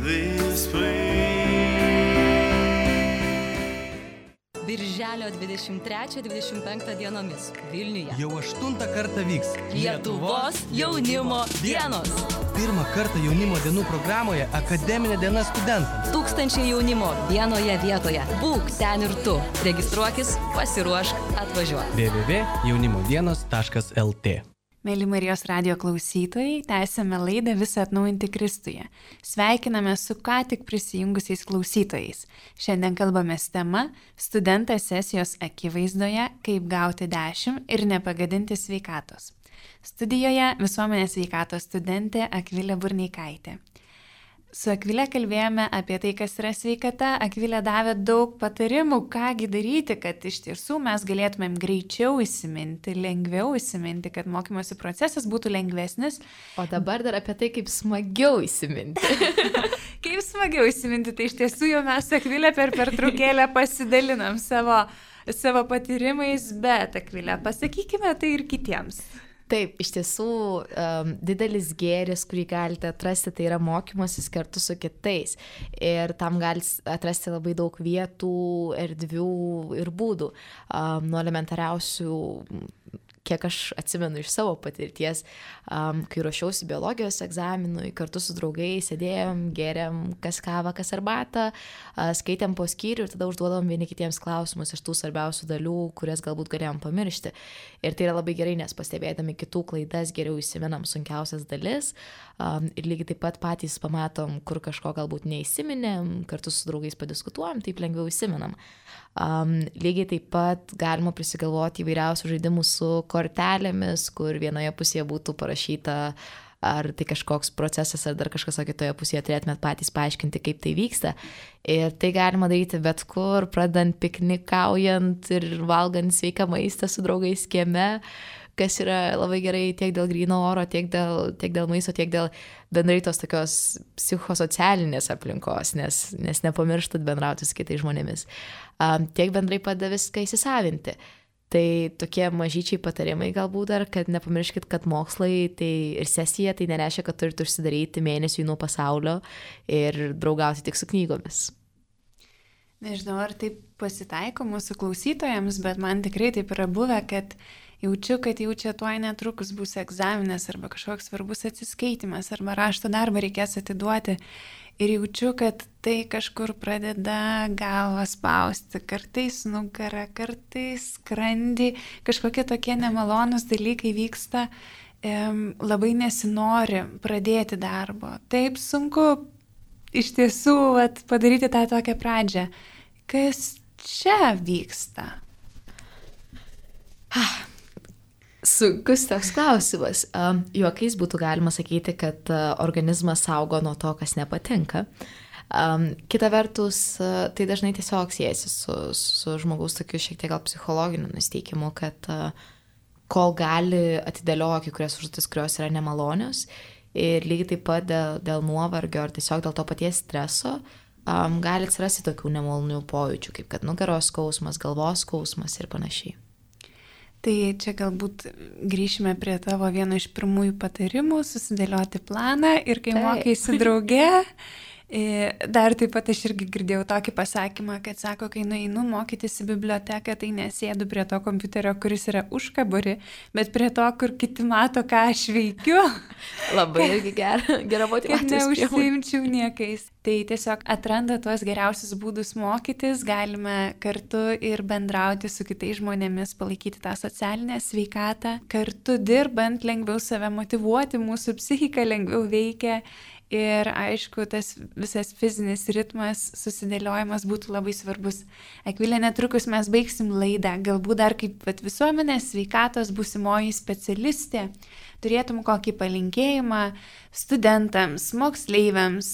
this place. Birželio dvidešimt trečią dvidešimt penktą dienomis Vilniuje. Jau aštuntą kartą vyks Lietuvos jaunimo dienos. Pirmą kartą jaunimo dienų programoje Akademinė diena studentams. Tūkstančiai jaunimo vienoje vietoje. Būk ten ir tu. Registruokis, pasiruošk, atvažiuok. w w w taškas jaunimo dienos taškas l t. Mėly Marijos radijo klausytojai, tęsėme laidą Visą atnaujinti Kristuje. Sveikiname su ką tik prisijungusiais klausytojais. Šiandien kalbamės tema Studentas sesijos akivaizdoje, kaip gauti dešimt ir nepagadinti sveikatos. Studijoje visuomenės sveikatos studentė Akvilė Burneikaitė. Su Akvilė kalbėjome apie tai, kas yra sveikata. Akvilė davė daug patarimų, kągi daryti, kad iš tiesų mes galėtumėm greičiau įsiminti, lengviau įsiminti, kad mokymosi procesas būtų lengvesnis. O dabar dar apie tai, kaip smagiau įsiminti. Kaip smagiau įsiminti, tai iš tiesų jau mes su Akvilė per pertraukėlę pasidalinam savo, savo patyrimais, bet Akvilė, pasakykime tai ir kitiems. Taip, iš tiesų um, didelis gėris, kurį galite atrasti, tai yra mokymasis kartu su kitais. Ir tam galite atrasti labai daug vietų, erdvių ir būdų. Um, nuo elementariausių, kiek aš atsimenu iš savo patirties, um, kai ruošiausi biologijos egzaminui, kartu su draugais sėdėjom, gėrėm kas kavą, kas arbatą, uh, skaitėm po skyrių ir tada užduodom vieni kitiems klausimus iš tų svarbiausių dalių, kurias galbūt galėjom pamiršti. Ir tai yra labai gerai, nes pastebėdami kitų klaidas geriau įsimenam sunkiausias dalis um, ir lygiai taip pat patys pamatom, kur kažko galbūt neįsiminėm, kartu su draugais padiskutuojam, taip lengviau įsimenam. Um, lygiai taip pat galima prisigalvoti įvairiausių žaidimų su kortelėmis, kur vienoje pusėje būtų parašyta, ar tai kažkoks procesas, ar dar kažkas, o kitoje pusėje turėtumėt patys paaiškinti, kaip tai vyksta. Ir tai galima daryti bet kur, pradant piknikaujant ir valgant sveiką maistą su draugais kieme, kas yra labai gerai tiek dėl gryno oro, tiek dėl, tiek dėl maisto, tiek dėl bendrai tos tokios psichosocialinės aplinkos, nes, nes nepamirštat bendrauti su kitais žmonėmis. Um, tiek bendrai padeda viską įsisavinti. Tai tokie mažyčiai patarimai galbūt dar, kad nepamirškit, kad mokslai tai ir sesija, tai nereiškia, kad turite užsidaryti mėnesiui nuo pasaulio ir draugauti tik su knygomis. Nežinau, ar taip pasitaiko mūsų klausytojams, bet man tikrai taip yra buvę, kad jaučiu, kad jau čia tuoj netrukus bus egzaminas arba kažkoks svarbus atsiskaitimas arba rašto darbą reikės atiduoti. Ir jaučiu, kad tai kažkur pradeda galvą spausti, kartais nugarą, kartais skrandį, kažkokie tokie nemalonus dalykai vyksta, em, labai nesinori pradėti darbo. Taip sunku iš tiesų vat, padaryti tą tokią pradžią. Kas čia vyksta? Ah. Sunkus toks klausimas. Um, juokais būtų galima sakyti, kad uh, organizmas saugo nuo to, kas nepatinka. Um, kita vertus, uh, tai dažnai tiesiog siejasi su, su žmogaus tokiu šiek tiek gal psichologiniu nusteikimu, kad uh, kol gali atidėlioja kai kurias užduotis, kurios yra nemalonios ir lygiai taip pat dėl, dėl nuovargio ar tiesiog dėl to paties streso um, gali atsirasti tokių nemalonių pojūčių, kaip kad nugaros skausmas, galvos skausmas ir panašiai. Tai čia galbūt grįšime prie tavo vieno iš pirmųjų patarimų, susidėlioti planą ir kai Taip. mokaisi drauge, dar taip pat aš irgi girdėjau tokį pasakymą, kad sako, kai nueinu mokytis į biblioteką, tai nesėdu prie to kompiuterio, kuris yra užkaburi, bet prie to, kur kiti mato, ką aš veikiu. Labai irgi gera, gera motyvacijos Kad neužsiimčiau niekais. Tai tiesiog atranda tuos geriausius būdus mokytis, galime kartu ir bendrauti su kitais žmonėmis, palaikyti tą socialinę sveikatą, kartu dirbant lengviau save motyvuoti, mūsų psichika lengviau veikia ir aišku, tas visas fizinis ritmas, susidėliojimas būtų labai svarbus. Akvilė, netrukus mes baigsim laidą, galbūt dar kaip visuomenės sveikatos būsimoji specialistė, turėtum kokį palinkėjimą studentams, moksleiviams,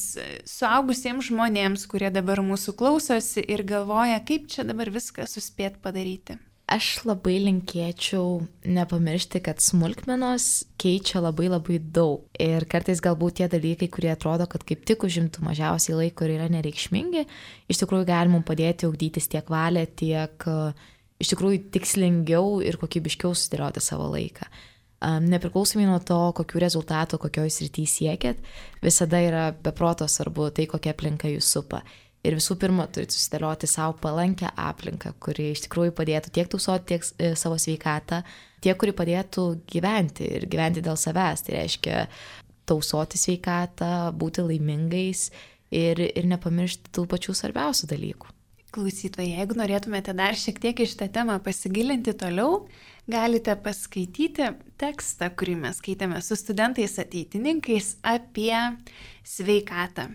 suaugusiems žmonėms, kurie dabar mūsų klausosi ir galvoja, kaip čia dabar viską suspėt padaryti. Aš labai linkėčiau nepamiršti, kad smulkmenos keičia labai labai daug. Ir kartais galbūt tie dalykai, kurie atrodo, kad kaip tik užimtų mažiausiai laiko ir yra nereikšmingi, iš tikrųjų gali mums padėti ugdytis tiek valią, tiek iš tikrųjų tikslingiau ir kokybiškiau susidėlioti savo laiką. Nepriklausomai nuo to, kokių rezultatų, kokioj srity siekėt, visada yra beproto svarbu tai, kokia aplinka jūs supa. Ir visų pirma, turite susidėlioti savo palankę aplinką, kuri iš tikrųjų padėtų tiek tausoti tiek e, savo sveikatą, tiek, kuri padėtų gyventi ir gyventi dėl savęs. Tai reiškia tausoti sveikatą, būti laimingais ir, ir nepamiršti tų pačių svarbiausių dalykų. Klausytojai, jeigu norėtumėte dar šiek tiek iš tą temą pasigilinti toliau, galite paskaityti tekstą, kurį mes skaitėme su studentais ateitininkais apie sveikatą.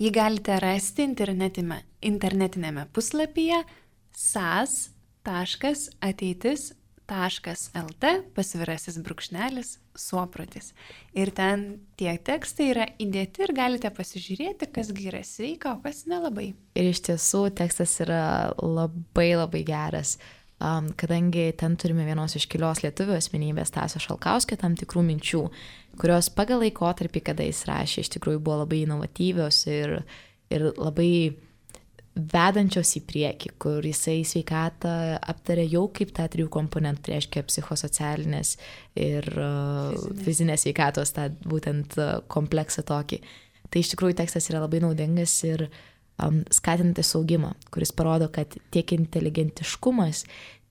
Jį galite rasti internetinėme, internetinėme puslapyje sas taškas ateitis taškas lt pasvirasis brūkšnelis suoprotis. Ir ten tie tekstai yra įdėti ir galite pasižiūrėti, kasgi yra sveika, o kas nelabai. Ir iš tiesų tekstas yra labai labai geras, um, kadangi ten turime vienos iškilios lietuvių asmenybės Stasio Šalkauskio tam tikrų minčių, kurios pagal laikotarpį, kada jis rašė, iš tikrųjų buvo labai inovatyvios ir, ir labai vedančios į priekį, kur jisai sveikatą aptarė jau kaip tą trijų komponentų, tai reiškia psichosocialinės ir fizinės, fizinės sveikatos, tą būtent kompleksą tokį. Tai iš tikrųjų tekstas yra labai naudingas ir um, skatinantis augimą, kuris parodo, kad tiek inteligentiškumas,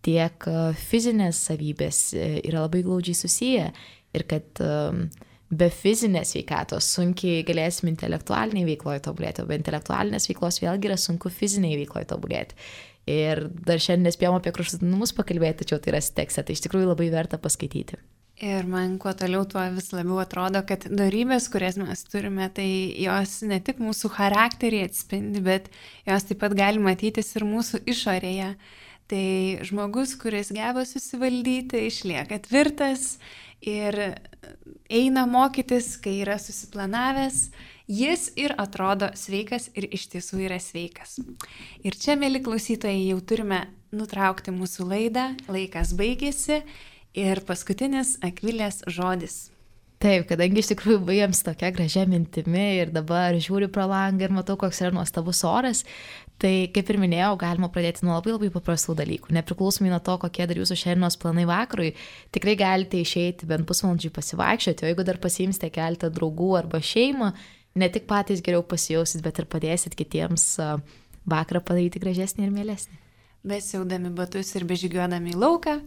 tiek fizinės savybės yra labai glaudžiai susiję ir kad um, be fizinės sveikatos sunkiai galėsim intelektualiniai veikloje tobulėti, o be intelektualinės veiklos vėlgi yra sunku fiziniai veikloje tobulėti. Ir dar šiandien nespėjom apie kraštutinumus pakalbėti, tačiau tai yra tekste, tai iš tikrųjų labai verta paskaityti. Ir man kuo toliau, tuo vis labiau atrodo, kad dorybės, kurias mes turime, tai jos ne tik mūsų charakterį atspindi, bet jos taip pat gali matytis ir mūsų išorėje. Tai žmogus, kuris geba susivaldyti, išlieka tvirtas ir eina mokytis, kai yra susiplanavęs, jis ir atrodo sveikas ir iš tiesų yra sveikas. Ir čia, mėly klausytojai, jau turime nutraukti mūsų laidą, laikas baigėsi ir paskutinis Akvilės žodis. Taip, kadangi iš tikrųjų baigėm su tokia gražia mintimi ir dabar žiūriu pro langą ir matau, koks yra nuostabus oras, tai kaip ir minėjau, galima pradėti nuo labai labai paprastų dalykų. Nepriklausomai nuo to, kokie dar jūsų šiandienos planai vakarui, tikrai galite išeiti bent pusvalandžiui pasivaikščioti, o jeigu dar pasiimsite keletą draugų arba šeimą, ne tik patys geriau pasijausit, bet ir padėsit kitiems vakarą padaryti gražesnį ir mielesnį. Besiaudami batus ir bežygiuodami į lauką,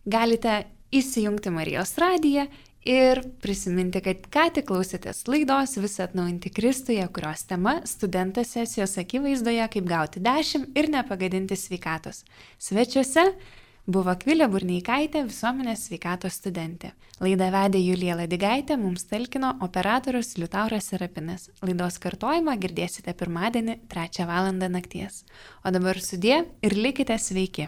galite įsijungti Marijos radiją ir prisiminti, kad ką tik klausėtės laidos Visą atnaujinti Kristuje, kurios tema studentas sesijos akivaizdoje, kaip gauti dešimt ir nepagadinti sveikatos. Svečiuose buvo Akvilė Burneikaitė, visuomenės sveikatos studentė. Laidą vedė Julija Ladigaitė, mums talkino operatorius Liutauras Serapinas. Laidos kartojimą girdėsite pirmadienį trečią valandą nakties. O dabar sudie ir likite sveiki.